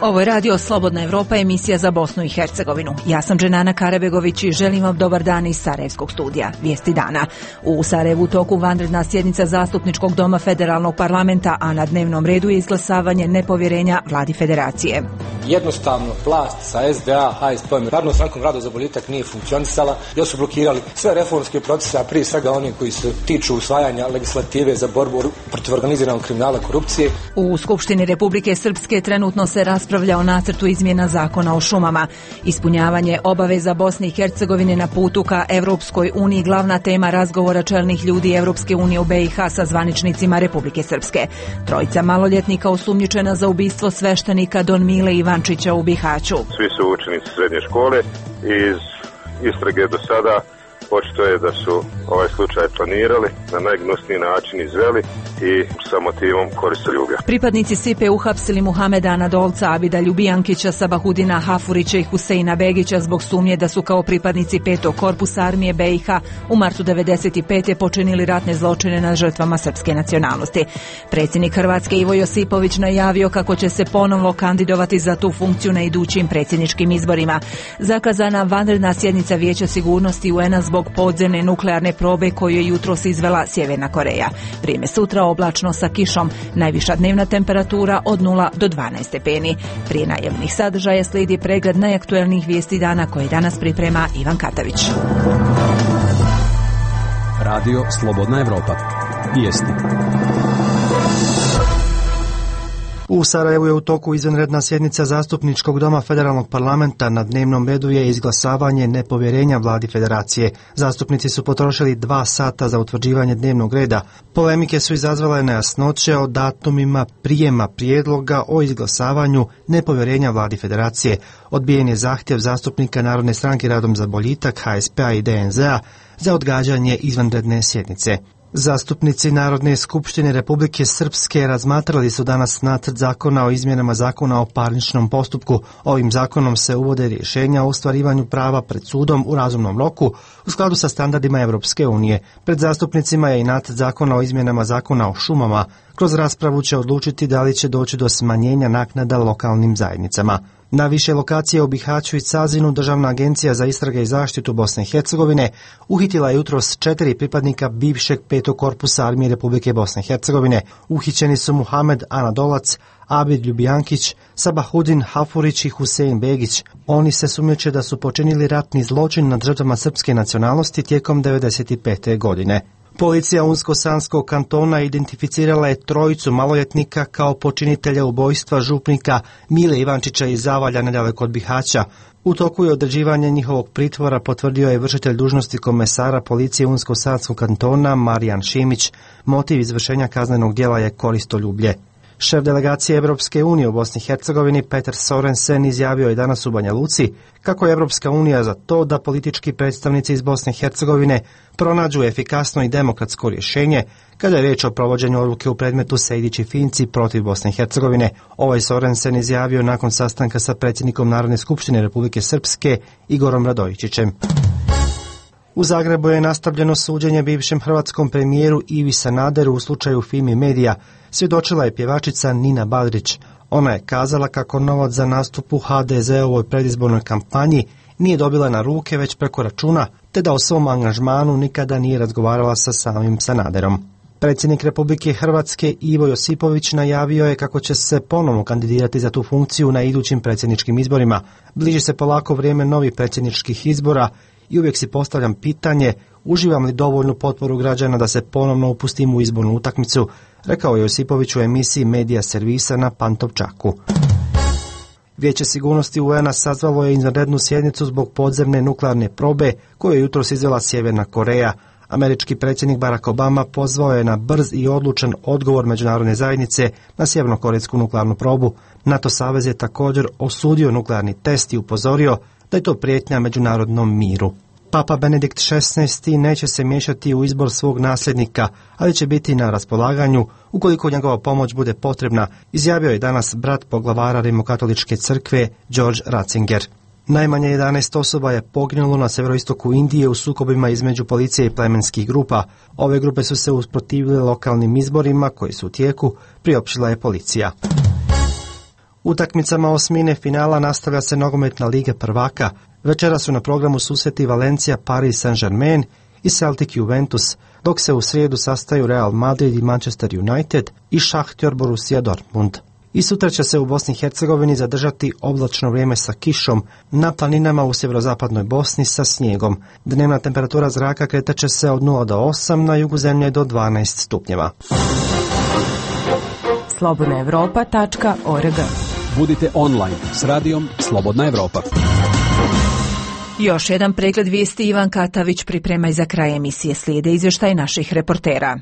Ovo je radio Slobodna Evropa, emisija za Bosnu i Hercegovinu. Ja sam Dženana Karabegović i želim vam dobar dan iz Sarajevskog studija. Vijesti dana. U Sarajevu u toku vanredna sjednica Zastupničkog doma Federalnog parlamenta, a na dnevnom redu je izglasavanje nepovjerenja vladi federacije. Jednostavno vlast sa SDA, HSP-om i Narodnom strankom Rada za boljitak nije funkcionisala, jer su blokirali sve reformske procese, a prije svega oni koji se tiču usvajanja legislative za borbu protiv organiziranog kriminala i korupcije. U Skupštini Republike Srpske trenutno se raspravlja o nacrtu izmjena zakona o šumama. Ispunjavanje obaveza Bosne i Hercegovine na putu ka Evropskoj uniji glavna tema razgovora čelnih ljudi Evropske unije u BiH sa zvaničnicima Republike Srpske. Trojica maloljetnika osumnjičena za ubistvo sveštenika Don Mile Ivančića u Bihaću. Svi su učenici srednje škole. Iz istrage do sada očito je da su ovaj slučaj planirali, na najgnusniji način izveli i sa motivom koristoljublja. Pripadnici SIPE uhapsili Muhameda Anadolca, Abida Ljubijankića, Sabahudina Hafurića i Huseina Begića zbog sumnje da su kao pripadnici 5. korpusa armije BiH u martu 1995. počinili ratne zločine nad žrtvama srpske nacionalnosti. Predsjednik Hrvatske Ivo Josipović najavio kako će se ponovno kandidovati za tu funkciju na idućim predsjedničkim izborima. Zakazana vanredna sjednica Vijeća sigurnosti UN-a zbog podzemne nuklearne probe koju je jutros izvela Sjeverna Koreja. Vrijeme sutra oblačno sa kišom, najviša dnevna temperatura od 0 do 12 stepeni. Prije najavljenih sadržaja slijedi pregled najaktuelnijih vijesti dana koje danas priprema Ivan Katavić. Radio Slobodna Evropa. Vijesti. U Sarajevu je u toku izvanredna sjednica Zastupničkog doma Federalnog parlamenta. Na dnevnom redu je izglasavanje nepovjerenja vladi federacije. Zastupnici su potrošili 2 sata za utvrđivanje dnevnog reda. Polemike su izazvale nejasnoće o datumima prijema prijedloga o izglasavanju nepovjerenja vladi federacije. Odbijen je zahtjev zastupnika Narodne stranke Radom za boljitak, HSP-a i DNZ-a za odgađanje izvanredne sjednice. Zastupnici Narodne skupštine Republike Srpske razmatrali su danas nacrt zakona o izmjenama zakona o parničnom postupku. Ovim zakonom se uvode rješenja o ostvarivanju prava pred sudom u razumnom roku u skladu sa standardima Evropske unije. Pred zastupnicima je i nacrt zakona o izmjenama zakona o šumama. Kroz raspravu će odlučiti da li će doći do smanjenja naknada lokalnim zajednicama. Na više lokacije u Bihaću i Cazinu Državna agencija za istrage i zaštitu Bosne i Hercegovine uhitila je jutros 4 pripadnika bivšeg 5. korpusa armije Republike Bosne i Hercegovine. Uhićeni su Muhamed Anadolac, Abid Ljubijankić, Sabahudin Hafurić i Husein Begić. Oni se sumnjiče da su počinili ratni zločin nad žrtvama srpske nacionalnosti tijekom 1995. godine. Policija Unsko-Sanskog kantona identificirala je trojicu maloljetnika kao počinitelja ubojstva župnika Mile Ivančića iz Zavalja nedaleko od Bihaća. U toku je određivanje njihovog pritvora, potvrdio je vršitelj dužnosti komesara policije Unsko-Sanskog kantona Marijan Šimić. Motiv izvršenja kaznenog djela je koristoljublje. Šef delegacije Evropske unije u Bosni i Hercegovini Peter Sorensen izjavio je danas u Banja Luci kako je Evropska unija za to da politički predstavnici iz Bosne i Hercegovine pronađu efikasno i demokratsko rješenje kada je riječ o provođenju odluke u predmetu Sejdić i Finci protiv Bosne i Hercegovine. Ovaj Sorensen izjavio nakon sastanka sa predsjednikom Narodne skupštine Republike Srpske Igorom Radojičićem. U Zagrebu je nastavljeno suđenje bivšem hrvatskom premijeru Ivi Sanaderu u slučaju Fimi Media. Svjedočila je pjevačica Nina Badrić. Ona je kazala kako novac za nastup u HDZ-ovoj predizbornoj kampanji nije dobila na ruke već preko računa, te da o svom angažmanu nikada nije razgovarala sa samim Sanaderom. Predsjednik Republike Hrvatske Ivo Josipović najavio je kako će se ponovno kandidirati za tu funkciju na idućim predsjedničkim izborima. Bliži se polako vrijeme novih predsjedničkih izbora i uvijek si postavljam pitanje uživam li dovoljnu potporu građana da se ponovno upustim u izbornu utakmicu, rekao je Josipović u emisiji Medija servisa na Pantovčaku. Vijeće sigurnosti UN-a sazvalo je izvanrednu sjednicu zbog podzemne nuklearne probe koju je jutros izvela Sjeverna Koreja. Američki predsjednik Barack Obama pozvao je na brz i odlučan odgovor međunarodne zajednice na sjevernokorejsku nuklearnu probu. NATO savez je također osudio nuklearni test i upozorio da je to prijetnja međunarodnom miru. Papa Benedikt XVI neće se miješati u izbor svog nasljednika, ali će biti na raspolaganju ukoliko njegova pomoć bude potrebna, izjavio je danas brat poglavara Rimokatoličke crkve George Ratzinger. Najmanje 11 osoba je poginulo na severoistoku Indije u sukobima između policije i plemenskih grupa. Ove grupe su se usprotivile lokalnim izborima koji su u tijeku, priopćila je policija. Utakmicama osmine finala nastavlja se nogometna Liga prvaka. Večera su na programu susreti Valencija, Paris Saint-Germain i Celtic Juventus, dok se u srijedu sastaju Real Madrid i Manchester United i Šahtjor Borussia Dortmund. I sutra će se u Bosni i Hercegovini zadržati oblačno vrijeme sa kišom, na planinama u sjeverozapadnoj Bosni sa snijegom. Dnevna temperatura zraka kretaće se od 0 do 8, na jugu zemlje do 12 stupnjeva. slobodnaevropa.org. Budite online s radijom Slobodna Evropa. Još jedan pregled vijesti Ivan Katavić priprema i za kraj emisije slijede izvještaj naših reportera.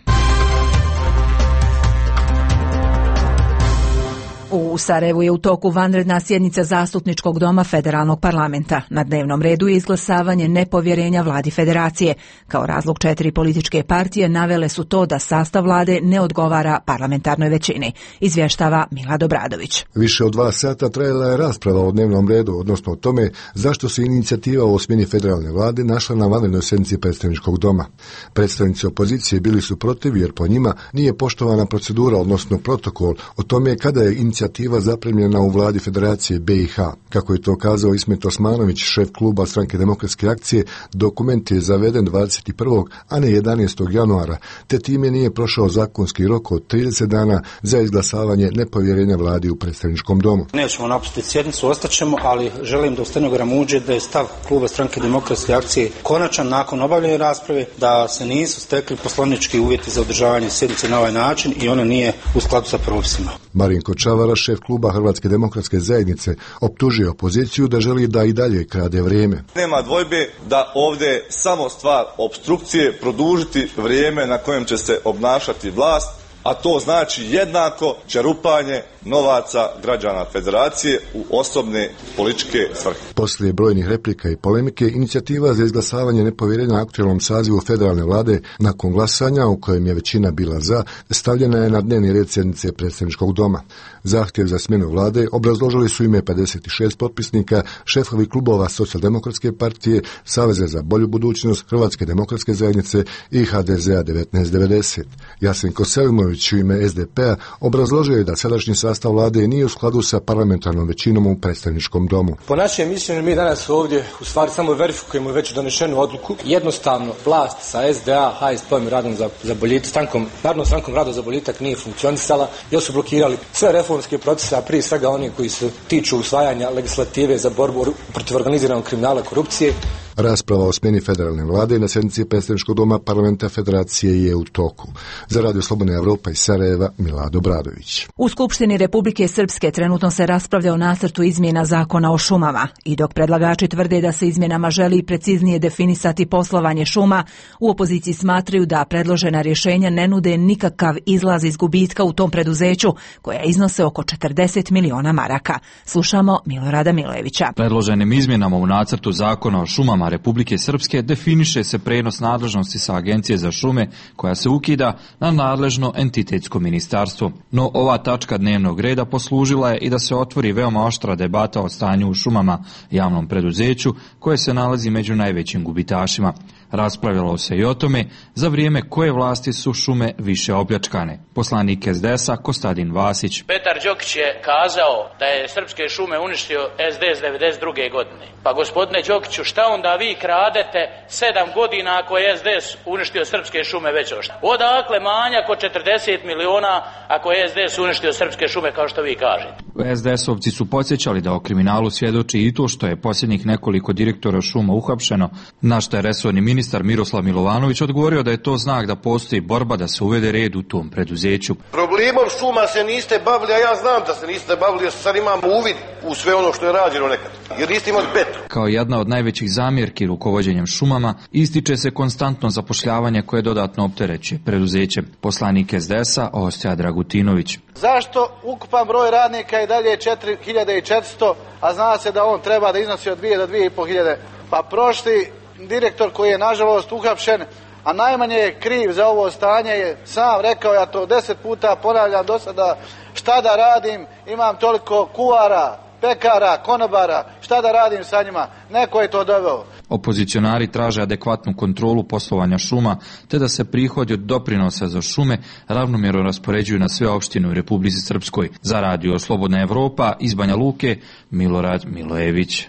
U Sarajevu je u toku vanredna sjednica Zastupničkog doma Federalnog parlamenta. Na dnevnom redu je izglasavanje nepovjerenja vladi federacije. Kao razlog 4 političke partije navele su to da sastav vlade ne odgovara parlamentarnoj većini. Izvještava Milad Obradović. Više od 2 sata trajala je rasprava o dnevnom redu, odnosno o tome zašto se inicijativa o smjeni federalne vlade našla na vanrednoj sjednici predstavničkog doma. Predstavnici opozicije bili su protiv jer po njima nije poštovana procedura, odnosno protokol o tome kada je inicijativa zapremljena u vladi Federacije BiH. Kako je to kazao Ismet Osmanović, šef kluba Stranke demokratske akcije, dokument je zaveden 21. a ne 11. januara, te time nije prošao zakonski rok od 30 dana za izglasavanje nepovjerenja vladi u predstavničkom domu. Nećemo napustiti sjednicu, ostaćemo, ali želim da u stenogramu uđe da je stav kluba Stranke demokratske akcije konačan nakon obavljene rasprave, da se nisu stekli poslovnički uvjeti za održavanje sjednice na ovaj način i ona nije u skladu sa propisima. Marinko Čavara, šef kluba Hrvatske demokratske zajednice, optužio opoziciju da želi da i dalje krade vrijeme. Nema dvojbe da ovdje samo stvar opstrukcije produžiti vrijeme na kojem će se obnašati vlast, a to znači jednako čerupanje novaca građana federacije u osobne političke svrhe. Poslije brojnih replika i polemike, inicijativa za izglasavanje nepovjerenja aktualnom sazivu federalne vlade nakon glasanja, u kojem je većina bila za, stavljena je na dnevni red sjednice predstavničkog doma. Zahtjev za smjenu vlade obrazložili su ime 56 potpisnika, šefovi klubova Socijaldemokratske partije, Saveza za bolju budućnost, Hrvatske demokratske zajednice i HDZ-a 1990. Jasenko Selimović u ime SDP-a obrazložio je da sadašnji sastav vlade nije u skladu sa parlamentarnom većinom u predstavničkom domu. Po našem mišljenju mi danas ovdje u stvari samo verifikujemo već donešenu odluku. Jednostavno vlast sa SDA, HSP-om i radom za boljitak, Narodnom strankom rada za boljitak nije funkcionisala, jer su blokirali sve reformske procese, a prije svega oni koji se tiču usvajanja legislative za borbu protiv organiziranog kriminala i korupcije. Rasprava o smjeni federalne vlade na sjednici predstavničkog doma parlamenta federacije je u toku. Za Radio Slobodna Evropa iz Sarajeva, Milad Obradović. U Skupštini Republike Srpske trenutno se raspravlja o nacrtu izmjena zakona o šumama i dok predlagači tvrde da se izmjenama želi preciznije definisati poslovanje šuma, u opoziciji smatraju da predložena rješenja ne nude nikakav izlaz iz gubitka u tom preduzeću, koja iznose oko 40 miliona maraka. Slušamo Milorada Milojevića. Predloženim izmjenama u nacrtu zakona o šumama Republike Srpske definiše se prenos nadležnosti sa Agencije za šume, koja se ukida, na nadležno entitetsko ministarstvo. No ova tačka dnevnog reda poslužila je i da se otvori veoma oštra debata o stanju u šumama, javnom preduzeću koje se nalazi među najvećim gubitašima. Raspravljalo se i o tome za vrijeme koje vlasti su šume više opljačkane. Poslanik SDS-a Kostadin Vasić. Petar Đokić je kazao da je srpske šume uništio SDS 92. godine. Pa gospodine Đokiću, šta onda vi kradete 7 godina ako je SDS uništio srpske šume već ošta? Odakle manjak od 40 miliona ako je SDS uništio srpske šume kao što vi kažete? SDS-ovci su podsjećali da o kriminalu svjedoči i to što je posljednjih nekoliko direktora šuma uhapšeno, na što je resorni ministar Miroslav Milovanović odgovorio da je to znak da postoji borba da se uvede red u tom preduzeću. Problemom šuma se niste bavili, a ja znam da se niste bavili, jer sad imamo uvid u sve ono što je rađeno nekad, jer niste imali petu. Kao jedna od najvećih zamjerki rukovođenjem šumama ističe se konstantno zapošljavanje koje dodatno opterećuje preduzeće. Poslanik SDS-a Osća Dragutinović. Zašto ukupan broj radnika je dalje 4400, a zna se da on treba da iznosi od 2 do 2500? Pa prošli direktor koji je nažalost uhapšen, a najmanje je kriv za ovo stanje, je sam rekao, ja to 10 puta ponavljam do sada, šta da radim, imam toliko kuvara, pekara, konobara, šta da radim sa njima, neko je to doveo. Opozicionari traže adekvatnu kontrolu poslovanja šuma, te da se prihodi od doprinosa za šume ravnomjerno raspoređuju na sve opštine u Republici Srpskoj. Za Radio Slobodna Evropa iz Banja Luke, Milorad Milojević.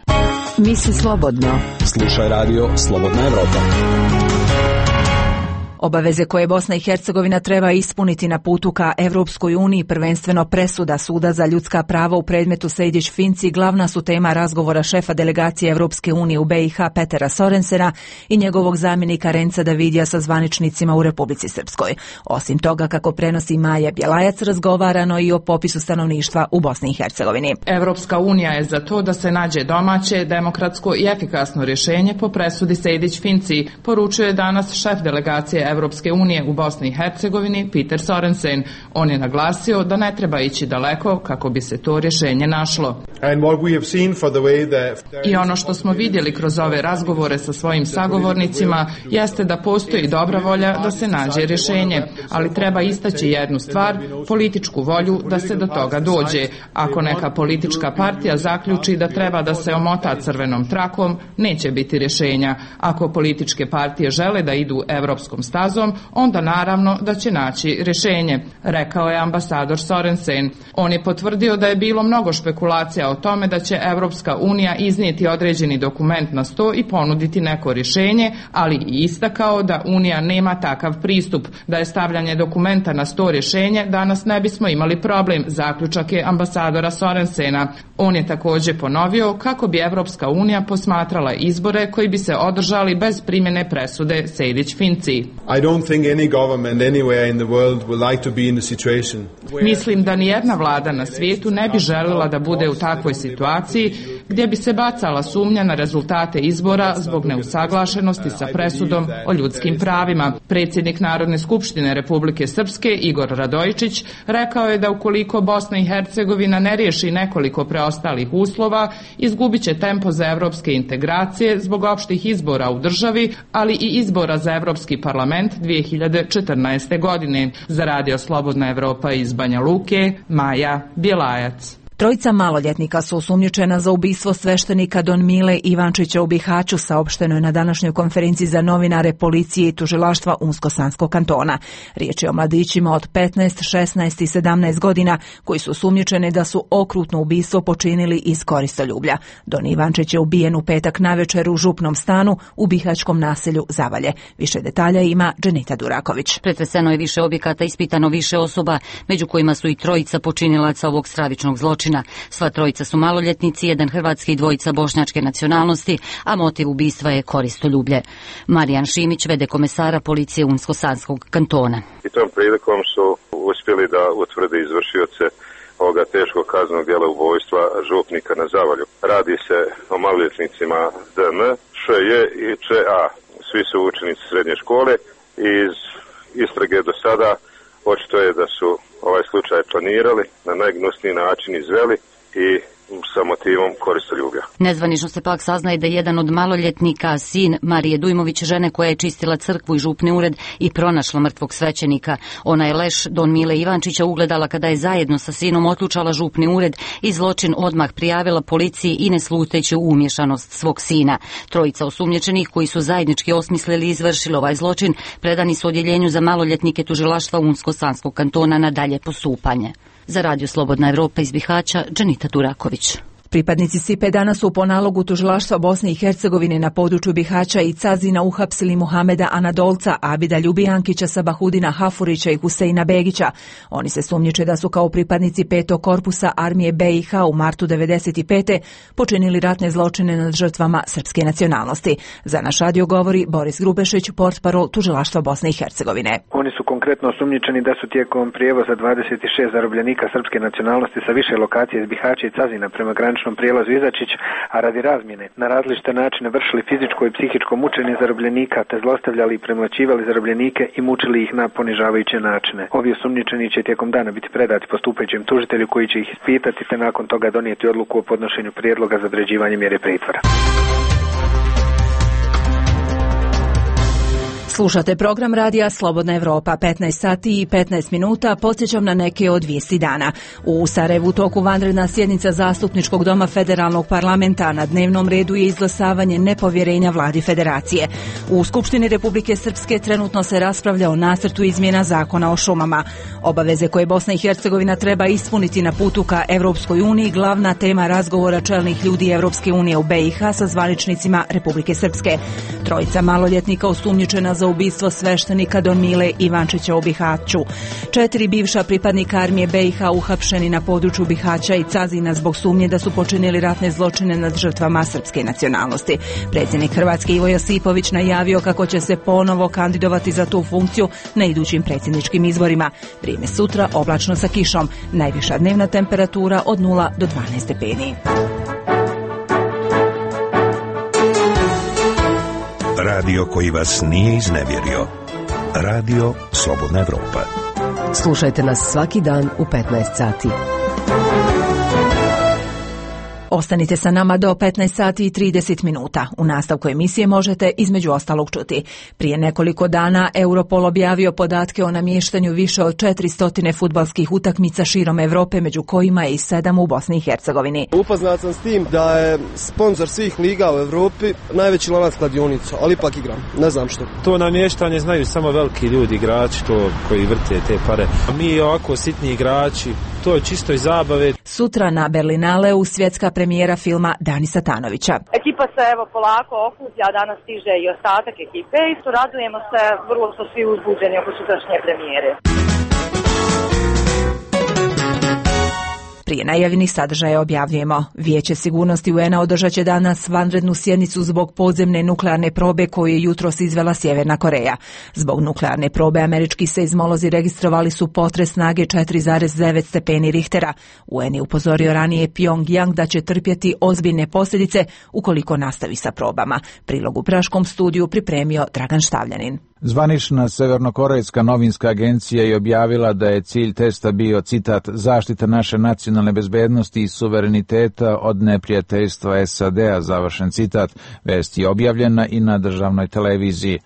Misli slobodno. Slušaj Radio Slobodna Evropa. Obaveze koje Bosna i Hercegovina treba ispuniti na putu ka Evropskoj uniji, prvenstveno presuda Suda za ljudska prava u predmetu Sejdić-Finci, glavna su tema razgovora šefa delegacije Evropske unije u BiH Petera Sorensena i njegovog zamjenika Renca Davidija sa zvaničnicima u Republici Srpskoj. Osim toga, kako prenosi Maja Bjelajac, razgovarano i o popisu stanovništva u Bosni i Hercegovini. Evropska unija je za to da se nađe domaće, demokratsko i efikasno rješenje po presudi Sejdić-Finci, poručuje danas šef delegacije Evropske unije u Bosni i Hercegovini Peter Sorensen. On je naglasio da ne treba ići daleko kako bi se to rješenje našlo. I ono što smo vidjeli kroz ove razgovore sa svojim sagovornicima jeste da postoji dobra volja da se nađe rješenje, ali treba istaći jednu stvar, političku volju da se do toga dođe. Ako neka politička partija zaključi da treba da se omota crvenom trakom, neće biti rješenja. Ako političke partije žele da idu evropskom stazom, onda naravno da će naći rješenje, rekao je ambasador Sorensen. On je potvrdio da je bilo mnogo špekulacija o tome da će Evropska unija iznijeti određeni dokument na sto i ponuditi neko rješenje, ali i istakao da Unija nema takav pristup. Da je stavljanje dokumenta na sto rješenje, danas ne bismo imali problem, zaključak je ambasadora Sorensena. On je također ponovio kako bi Evropska unija posmatrala izbore koji bi se održali bez primjene presude Sejdić-Finci. Mislim da nijedna vlada na svijetu ne bi željela da bude u takvoj situaciji gdje bi se bacala sumnja na rezultate izbora zbog neusaglašenosti sa presudom o ljudskim pravima. Predsjednik Narodne skupštine Republike Srpske Igor Radojičić rekao je da ukoliko Bosna i Hercegovina ne riješi nekoliko preostalih uslova, izgubit će tempo za evropske integracije zbog opštih izbora u državi, ali i izbora za Evropski parlament 2014. godine. Za Radio Slobodna Evropa iz Banja Luke, Maja Bjelajac. Trojica maloljetnika su osumnjičena za ubistvo sveštenika Don Mile Ivančića u Bihaću, saopšteno je na današnjoj konferenciji za novinare policije i tužilaštva Unsko-Sanskog kantona. Riječ je o mladićima od 15, 16 i 17 godina koji su osumnjičeni da su okrutno ubistvo počinili iz koristoljublja. Don Ivančić je ubijen u petak navečer u župnom stanu u bihaćkom naselju Zavalje. Više detalja ima Dženita Duraković. Pretreseno je više objekata, ispitano više osoba, među kojima su i trojica počinilaca ovog stravičnog zločina. Sva trojica su maloljetnici, jedan hrvatski i dvojica bošnjačke nacionalnosti, a motiv ubistva je koristoljublje. Marijan Šimić, vede komesara policije Unsko-Sanskog kantona. I tom prilikom su uspjeli da utvrde izvršioce ovoga teškog kaznenog djela ubojstva župnika na Zavalju. Radi se o maloljetnicima DN, ŠJ i ČA. Svi su učenici srednje škole i iz istrage do sada očito je da su ovaj slučaj planirali, na najgnusniji način izveli i sa motivom koristoljublja. Nezvanično se pak saznaje da je jedan od maloljetnika, sin Marije Dujmović, žene koja je čistila crkvu i župni ured i pronašla mrtvog svećenika. Ona je leš Don Mile Ivančića ugledala kada je zajedno sa sinom otlučala župni ured i zločin odmah prijavila policiji i ne sluteći u umješanost svog sina. Trojica osumnjičenih koji su zajednički osmislili i izvršili ovaj zločin predani su odjeljenju za maloljetnike tužilaštva Unsko-Sanskog kantona na dalje postupanje. Za Radio Slobodna Evropa iz Bihaća, Dženita Duraković. Pripadnici SIPE danas su po nalogu tužilaštva Bosne i Hercegovine na području Bihaća i Cazina uhapsili Muhameda Anadolca, Abida Ljubijankića, Sabahudina Hafurića i Huseina Begića. Oni se sumnjiče da su kao pripadnici 5. korpusa armije BiH u martu 1995. počinili ratne zločine nad žrtvama srpske nacionalnosti. Za naš radio govori Boris Grubešić, portparol tužilaštva Bosne i Hercegovine. Oni su konkretno osumnjičeni da su tijekom prijevoza 26 zarobljenika srpske nacionalnosti sa više lokacije iz Bihaća i Cazina prema graničnom prijelazu Izačić, a radi razmjene na različite načine vršili fizičko i psihičko mučenje zarobljenika te zlostavljali i premlaćivali zarobljenike i mučili ih na ponižavajuće načine. Ovi osumnjičeni će tijekom dana biti predati postupajućem tužitelju koji će ih ispitati te nakon toga donijeti odluku o podnošenju prijedloga za određivanje mjere pritvora. Slušate program radija Slobodna Evropa, 15 sati i 15 minuta, podsjećam na neke od vijesti dana. U Sarajevu toku vanredna sjednica Zastupničkog doma Federalnog parlamenta, na dnevnom redu je izglasavanje nepovjerenja vladi Federacije. U Skupštini Republike Srpske trenutno se raspravlja o nacrtu izmjena zakona o šumama. Obaveze koje Bosna i Hercegovina treba ispuniti na putu ka Evropskoj uniji, glavna tema razgovora čelnih ljudi Evropske unije u BiH sa zvaničnicima Republike Srpske. Trojica maloljetnika osumnjičena za ubistvo sveštenika Don Mile Ivančića u Bihaću. 4 bivša pripadnika armije BiH uhapšeni na području Bihaća i Cazina zbog sumnje da su počinili ratne zločine nad žrtvama srpske nacionalnosti. Predsjednik Hrvatske Ivo Josipović najavio kako će se ponovo kandidovati za tu funkciju na idućim predsjedničkim izborima. Vrijeme sutra oblačno sa kišom. Najviša dnevna temperatura od 0 do 12 stepeni. Radio koji vas nije iznevjerio. Radio Slobodna Evropa. Slušajte nas svaki dan u 15 sati. Ostanite sa nama do 15 sati i 30 minuta. U nastavku emisije možete između ostalog čuti. Prije nekoliko dana Europol objavio podatke o namještanju više od 400 fudbalskih utakmica širom Evrope, među kojima je i 7 u Bosni i Hercegovini. Upoznat sam s tim da je sponsor svih liga u Evropi najveći lanac kladionica, ali ipak igram. Ne znam što. To namještanje znaju samo veliki ljudi, igrači, to koji vrte te pare. A mi ovako sitni igrači, to je čisto iz zabave. Sutra na Berlinaleu svjetska premijera filma Dani Satanovića. Ekipa se polako okuplja, danas stiže i ostatak ekipe i radujemo se, vrlo su svi uzbuđeni oko sutrašnje premijere. Prije najavljenih sadržaja objavljujemo. Vijeće sigurnosti UN-a održat će danas vanrednu sjednicu zbog podzemne nuklearne probe koju je jutros izvela Sjeverna Koreja. Zbog nuklearne probe američki seizmolozi registrovali su potres snage 4,9 stepeni Richtera. UN je upozorio ranije Pyongyang da će trpjeti ozbiljne posljedice ukoliko nastavi sa probama. Prilog u praškom studiju pripremio Dragan Štavljanin. Zvanična severnokorejska novinska agencija je objavila da je cilj testa bio, citat, zaštita naše nacionalne bezbednosti i suvereniteta od neprijateljstva SAD-a, završen citat. Vest je objavljena i na državnoj televiziji.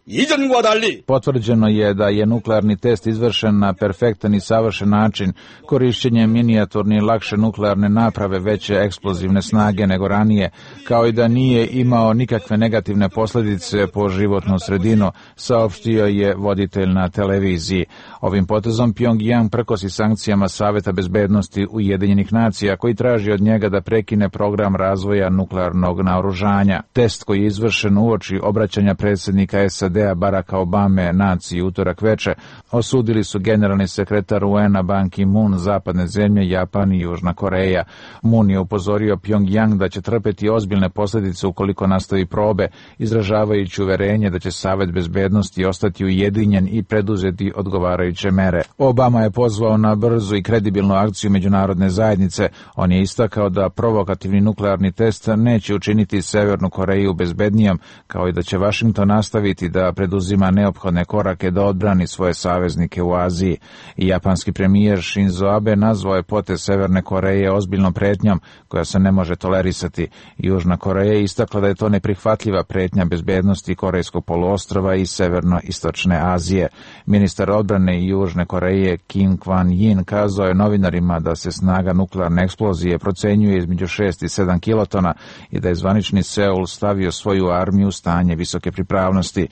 Potvrđeno je da je nuklearni test izvršen na perfektan i savršen način, korišćenjem minijaturne i lakše nuklearne naprave veće eksplozivne snage nego ranije, kao i da nije imao nikakve negativne posljedice po životnu sredinu, saopštio je voditelj na televiziji. Ovim potezom Pyongyang prkosi sankcijama Saveta bezbednosti Ujedinjenih nacija, koji traži od njega da prekine program razvoja nuklearnog naoružanja. Test koji je izvršen uoči obraćanja predsjednika SAD-a Baracka Obame naciji utorak veče, osudili su generalni sekretar UN-a Ban Ki-moon, zapadne zemlje, Japan i Južna Koreja. Moon je upozorio Pyongyang da će trpeti ozbiljne posljedice ukoliko nastavi probe, izražavajući uverenje da će Savet bezbednosti ostati ujedinjen i preduzeti odgovarajuće mere. Obama je pozvao na brzu i kredibilnu akciju međunarodne zajednice. On je istakao da provokativni nuklearni test neće učiniti Severnu Koreju bezbednijom, kao i da će Washington nastaviti da preduzima neophodne korake da odbrani svoje saveznike u Aziji. I japanski premijer Shinzo Abe nazvao je potez Severne Koreje ozbiljnom pretnjom koja se ne može tolerisati. Južna Koreja je istakla da je to neprihvatljiva pretnja bezbednosti Korejskog poluostrva i Severno-istočne Azije. Ministar odbrane Južne Koreje Kim Kwan-yin kazao je novinarima da se snaga nuklearne eksplozije procenjuje između 6 i 7 kilotona i da je zvanični Seul stavio svoju armiju u stanje visoke pripravnosti.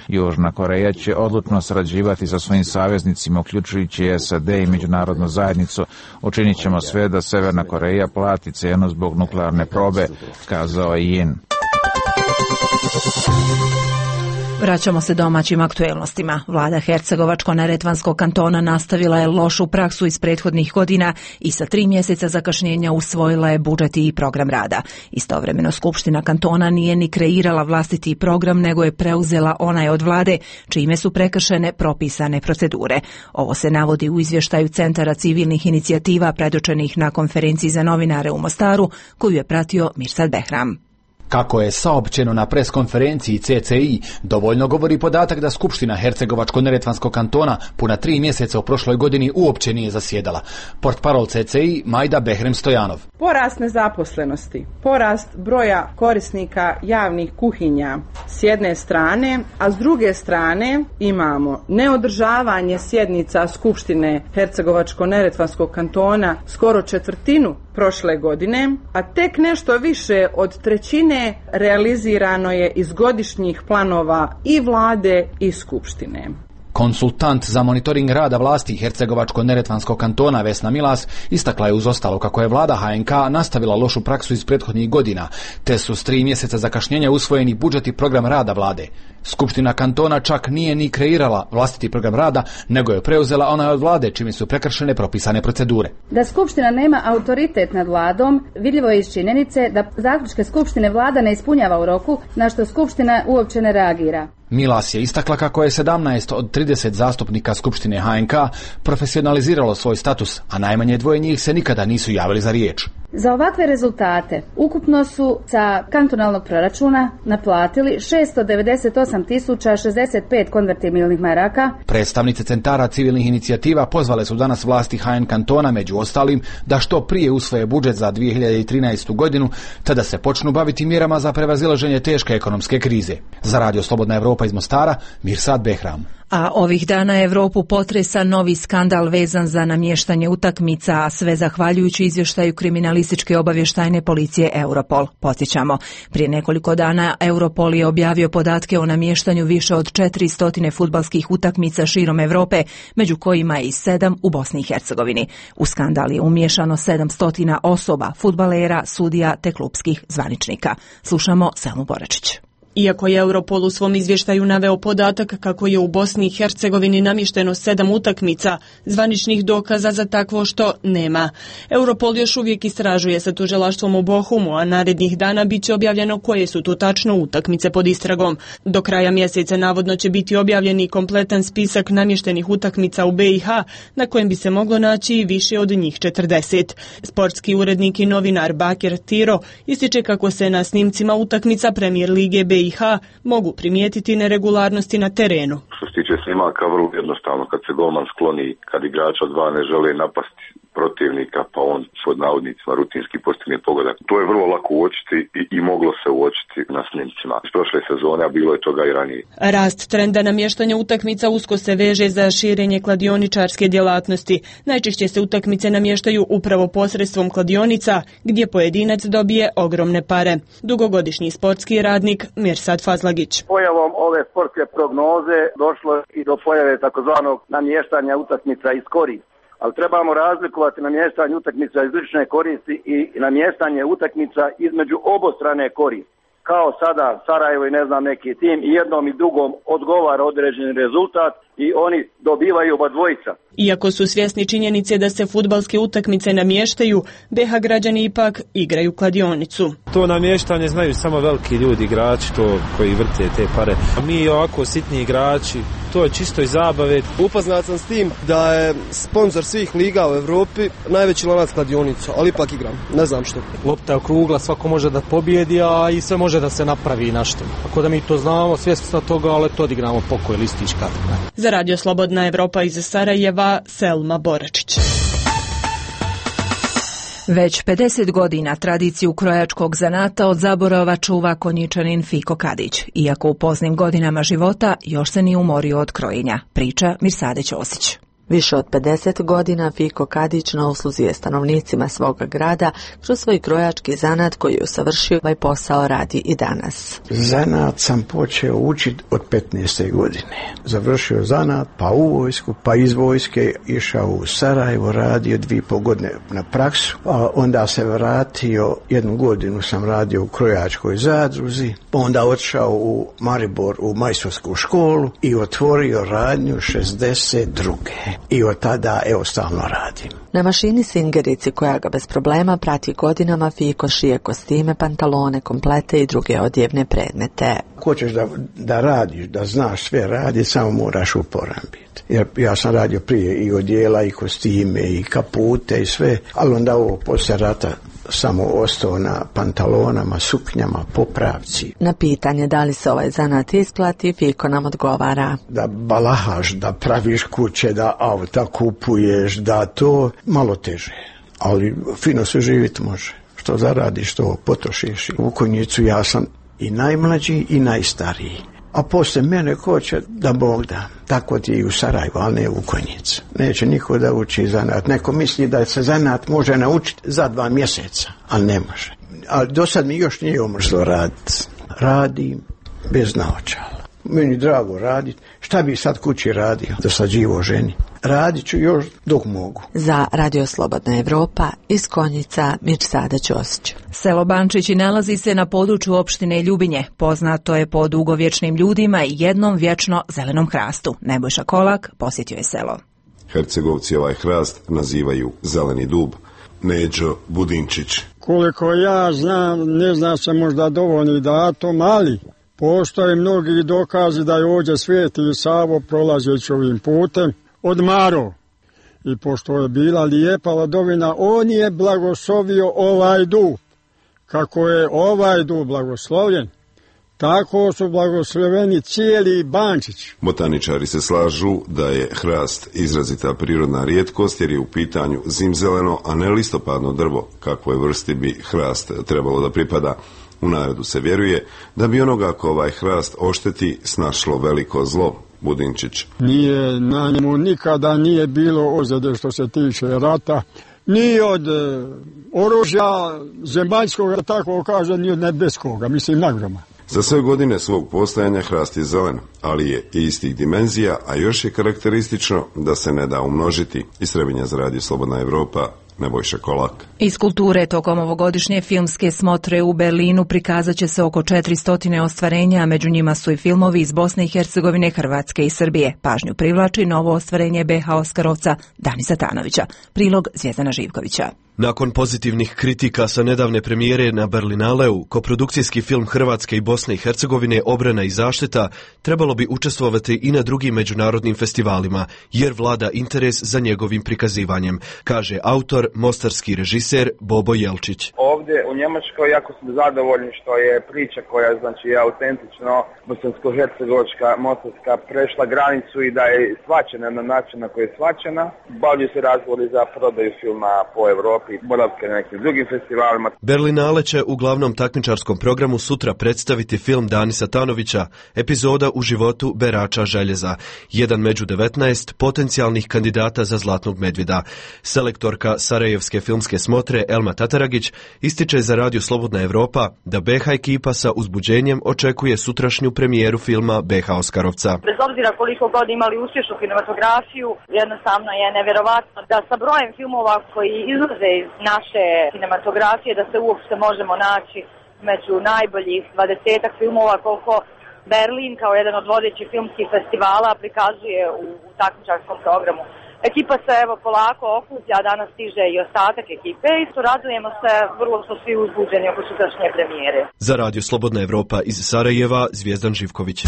Južna Koreja će odlučno sarađivati sa svojim saveznicima, uključujući SAD i međunarodnu zajednicu. Učinit ćemo sve da Severna Koreja plati cenu zbog nuklearne probe, kazao je Yin. Vraćamo se domaćim aktuelnostima. Vlada Hercegovačko-neretvanskog kantona nastavila je lošu praksu iz prethodnih godina i sa 3 mjeseca zakašnjenja usvojila je budžet i program rada. Istovremeno Skupština kantona nije ni kreirala vlastiti program, nego je preuzela onaj od vlade, čime su prekršene propisane procedure. Ovo se navodi u izvještaju Centara civilnih inicijativa predočenih na konferenciji za novinare u Mostaru, koju je pratio Mirsad Behram. Kako je saopćeno na preskonferenciji CCI, dovoljno govori podatak da Skupština Hercegovačko-neretvanskog kantona puna 3 mjeseca u prošloj godini uopće nije zasjedala. Portparol CCI Majda Behrem Stojanov. Porast nezaposlenosti, porast broja korisnika javnih kuhinja s jedne strane, a s druge strane imamo neodržavanje sjednica Skupštine Hercegovačko-neretvanskog kantona skoro četvrtinu prošle godine, a tek nešto više od trećine realizirano je iz godišnjih planova i vlade i Skupštine. Konsultant za monitoring rada vlasti Hercegovačko-neretvanskog kantona Vesna Milas istakla je uz ostalo kako je vlada HNK nastavila lošu praksu iz prethodnih godina, te su s 3 mjeseca zakašnjenja usvojeni budžet i program rada vlade. Skupština kantona čak nije ni kreirala vlastiti program rada, nego je preuzela onaj od vlade, čime su prekršene propisane procedure. Da Skupština nema autoritet nad vladom, vidljivo je iz činjenice da zaključke Skupštine vlada ne ispunjava u roku, na što Skupština uopće ne reagira. Milas je istakla kako je 17 od 30 zastupnika Skupštine HNK profesionaliziralo svoj status, a najmanje 2 njih se nikada nisu javili za riječ. Za ovakve rezultate ukupno su sa kantonalnog proračuna naplatili 698.065 konvertibilnih maraka. Predstavnice centara civilnih inicijativa pozvale su danas vlasti HN kantona, među ostalim, da što prije usvoje budžet za 2013. godinu, te da se počnu baviti mjerama za prevazilaženje teške ekonomske krize. Za Radio Slobodna Evropa iz Mostara, Mirsad Behram. A ovih dana Evropu potresa novi skandal vezan za namještanje utakmica, a sve zahvaljujući izvještaju kriminalističke obavještajne policije Europol. Podsjećamo, prije nekoliko dana Europol je objavio podatke o namještanju više od 400 fudbalskih utakmica širom Europe, među kojima je i 7 u Bosni i Hercegovini. U skandal je umiješano 700 osoba, fudbalera, sudija te klupskih zvaničnika. Slušamo Selmu Boračić. Iako je Europol u svom izvještaju naveo podatak kako je u Bosni i Hercegovini namješteno 7 utakmica, zvaničnih dokaza za takvo što nema. Europol još uvijek istražuje sa tužilaštvom u Bohumu, a narednih dana bit će objavljeno koje su to tačno utakmice pod istragom. Do kraja mjeseca navodno će biti objavljen i kompletan spisak namještenih utakmica u BiH, na kojem bi se moglo naći i više od njih 40. Sportski urednik i novinar Bakir Tiro ističe kako se na snimcima utakmica Premier lige BiH mogu primijetiti neregularnosti na terenu. Što se tiče snimaka, vrlo jednostavno, kad se golman skloni, kad igrača dva ne žele napasti protivnika, pa on pod navodnicima rutinski postigne pogodak. To je vrlo lako uočiti i moglo se uočiti na snimcima. Iz prošle sezone, a bilo je toga i ranije. Rast trenda namještanja utakmica usko se veže za širenje kladioničarske djelatnosti. Najčešće se utakmice namještaju upravo posredstvom kladionica, gdje pojedinac dobije ogromne pare. Dugogodišnji sportski radnik Mirsad Fazlagić. Pojavom ove sportske prognoze došlo i do pojave takozvanog namještanja utakmica iz koristi. Ali trebamo razlikovati namještanje utakmica iz lične koristi i namještanje utakmica između obostrane koristi. Kao sada Sarajevo i ne znam neki tim i jednom i drugom odgovara određeni rezultat i oni dobivaju oba dvojica. Iako su svjesni činjenice da se fudbalske utakmice namještaju, BiH građani ipak igraju kladionicu. To namještanje znaju samo veliki ljudi, igrači, to koji vrte te pare. A mi ovako sitni igrači, to je čisto iz zabave. Upoznat sam s tim da je sponsor svih liga u Europi najveći lanac kladionica, ali ipak igram, ne znam što. Lopta je okrugla, svako može da pobjedi, a i sve može da se napravi nešto. Ako da mi to znamo, svjesni smo toga, ali to odigramo pokoj listička. Za Radio Slobodna Evropa iz Sarajeva, Selma Boračić. Već 50 godina tradiciju krojačkog zanata od zaborava čuva Konjičanin Fiko Kadić. Iako u poznim godinama života još se nije umorio od krojenja, priča Mirsade Ćosić. Više od 50 godina Fiko Kadić na usluzi je stanovnicima svoga grada kroz svoj krojački zanat koji je usavršio, ovaj posao radi i danas. Zanat sam počeo učiti od 15. godine. Završio zanat, pa u vojsku, pa iz vojske išao u Sarajevo, radio 2,5 godine na praksu, a onda se vratio, 1 godinu sam radio u krojačkoj zadruzi, onda otišao u Maribor u majstorsku školu i otvorio radnju 62. I od tada stalno radim. Na mašini Singerici koja ga bez problema prati godinama Fiko šije kostime, pantalone, komplete i druge odjevne predmete. Ako hoćeš da radiš, da znaš sve radi, samo moraš uporan biti. Jer ja sam radio prije i odjela, i kostime, i kapute, i sve, ali onda ovo poslije rata samo ostao na pantalonama, suknjama, popravci. Na pitanje da li se ovaj zanat isplati, Fiko nam odgovara. Da balahaš, da praviš kuće, da auta kupuješ, da to malo teže. Ali fino se živjeti može. Što zaradiš, što potrošiš. U Konjicu ja sam i najmlađi i najstariji. A poslije mene ko će da Bog da. Tako ti i u Sarajevu, ali ne u Konjicu. Neće niko da uči zanat. Neko misli da se zanat može naučiti za 2 mjeseca, ali ne može. Ali do sad mi još nije omrzlo raditi. Radim bez naočala. Meni drago raditi. Šta bi sad kući radio? Dosađivo ženi. Radit ću još dok mogu. Za Radio Slobodna Evropa iz Konjica, Mirčada Ćosić. Selo Bančići nalazi se na području opštine Ljubinje. Poznato je po dugovječnim ljudima i jednom vječno zelenom hrastu. Nebojša Kolak posjetio je selo. Hercegovci ovaj hrast nazivaju zeleni dub. Neđo Budinčić. Koliko ja znam, ne zna se možda dovoljni datum, ali postoje mnogi dokazi da je ovdje Sveti Savo prolazeći ovim putem odmarao. I pošto je bila lijepa ladovina, on je blagoslovio ovaj dub. Kako je ovaj dub blagoslovljen, tako su blagosloveni cijeli Bančić. Botaničari se slažu da je hrast izrazita prirodna rijetkost jer je u pitanju zimzeleno, a ne listopadno drvo, kakvoj vrsti bi hrast trebalo da pripada. U narodu se vjeruje da bi onoga ko ovaj hrast ošteti snašlo veliko zlo. Budinčić. Nije na njemu nikada nije bilo ozljede što se tiče rata, ni od oružja zemaljskog, da tako kaže, ni od nebeskoga, mislim nagroma. Za sve godine svog postojanja hrast je zelen, ali je istih dimenzija, a još je karakteristično da se ne da umnožiti. Iz Trebinja za Radio Slobodna Evropa, Nebojša Kolak. Iz kulture tokom ovogodišnje filmske smotre u Berlinu prikazat će se oko 400 ostvarenja, a među njima su i filmovi iz Bosne i Hercegovine, Hrvatske i Srbije. Pažnju privlači novo ostvarenje BH Oskarovca Danisa Tanovića. Prilog Zvjezdana Živkovića. Nakon pozitivnih kritika sa nedavne premijere na Berlinaleu, koprodukcijski film Hrvatske i Bosne i Hercegovine Obrana i zaštita trebalo bi učestvovati i na drugim međunarodnim festivalima, jer vlada interes za njegovim prikazivanjem, kaže autor, mostarski režiser Bobo Jelčić. Ovdje u Njemačkoj jako sam zadovoljni što je priča koja je autentično bosansko-hercegovačka, mostarska prešla granicu i da je shvaćena na način na koji je shvaćena. Bavlju se razgovori za prodaju filma po Evropi, boravke na nekim drugim festivalima. Berlinale će u glavnom takmičarskom programu sutra predstaviti film Danisa Tanovića, epizoda u životu berača željeza, jedan među 19 potencijalnih kandidata za Zlatnog medvjeda. Selektorka Sarajevske filmske smotre Elma Tataragić ističe za Radio Slobodna Evropa da BH ekipa sa uzbuđenjem očekuje sutrašnju premijeru filma BH Oskarovca. Bez obzira koliko god imali uspješnu kinematografiju, jednostavno je nevjerovatno da sa brojem filmova koji izlaze iz naše kinematografije da se uopšte možemo naći među najboljih 20 filmova koliko Berlin kao jedan od vodećih filmskih festivala prikazuje u takmičarskom programu. Ekipa se evo polako okuplja, danas stiže i ostatak ekipe i radujemo se, vrlo su svi uzbuđeni oko sutrašnje premijere. Za Radio Slobodna Evropa iz Sarajeva, Zvjezdan Živković.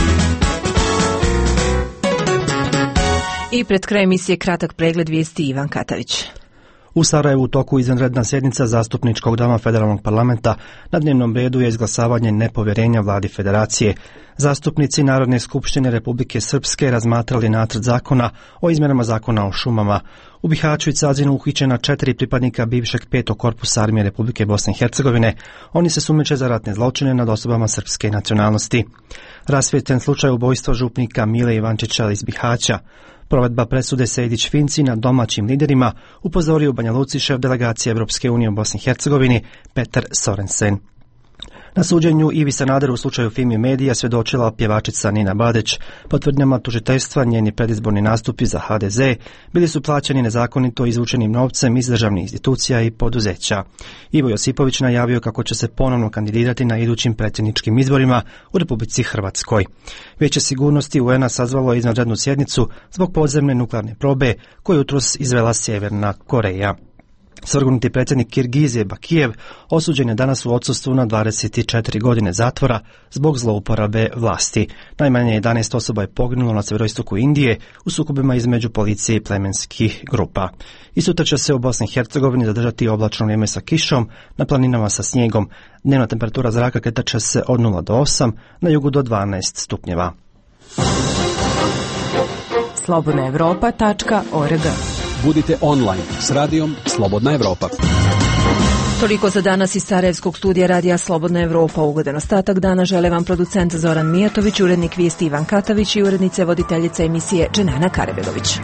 I pred kraj emisije kratak pregled vijesti Ivan Katavić. U Sarajevu u toku izvanredna sjednica zastupničkog doma federalnog parlamenta. Na dnevnom redu je izglasavanje nepovjerenja vladi federacije. Zastupnici Narodne skupštine Republike Srpske razmatrali nacrt zakona o izmjenama zakona o šumama. U Bihaću i Cazinu uhićena 4 pripadnika bivšeg 5. korpusa armije Republike Bosne i Hercegovine. Oni se sumnjiče za ratne zločine nad osobama srpske nacionalnosti. Rasvijetljen slučaj ubojstva župnika Mile Ivančića iz Bihaća. Provedba presude Sejdić-Finci nad domaćim liderima upozorio u Banja Luci šef delegacije Evropske unije u Bosni i Hercegovini Petar Sorensen. Na suđenju Ivi Sanaderu u slučaju Fimi Medija svjedočila pjevačica Nina Badeć. Po tvrdnjama tužiteljstva njeni predizborni nastupi za HDZ bili su plaćeni nezakonito izvučenim novcem iz državnih institucija i poduzeća. Ivo Josipović najavio kako će se ponovno kandidirati na idućim predsjedničkim izborima u Republici Hrvatskoj. Vijeće sigurnosti UN-a sazvalo izvanrednu sjednicu zbog podzemne nuklearne probe koju jutros izvela Sjeverna Koreja. Svrgnuti predsjednik Kirgizije Bakijev osuđen je danas u odsustvu na 24 godine zatvora zbog zlouporabe vlasti. Najmanje 11 osoba je poginulo na sjeveroistoku Indije u sukobima između policije i plemenskih grupa. I sutra će se u Bosni i Hercegovini zadržati oblačno vrijeme sa kišom, na planinama sa snijegom. Dnevna temperatura zraka kretat će se od 0 do 8, na jugu do 12 stupnjeva. slobodnaevropa.org. Budite online s radijom Slobodna Evropa. Toliko za danas iz Sarajevskog studija radija Slobodna Evropa. Ugodan ostatak dana žele vam producent Zoran Mijatović, urednik vijesti Ivan Katavić i urednice voditeljica emisije Dženana Karebegović.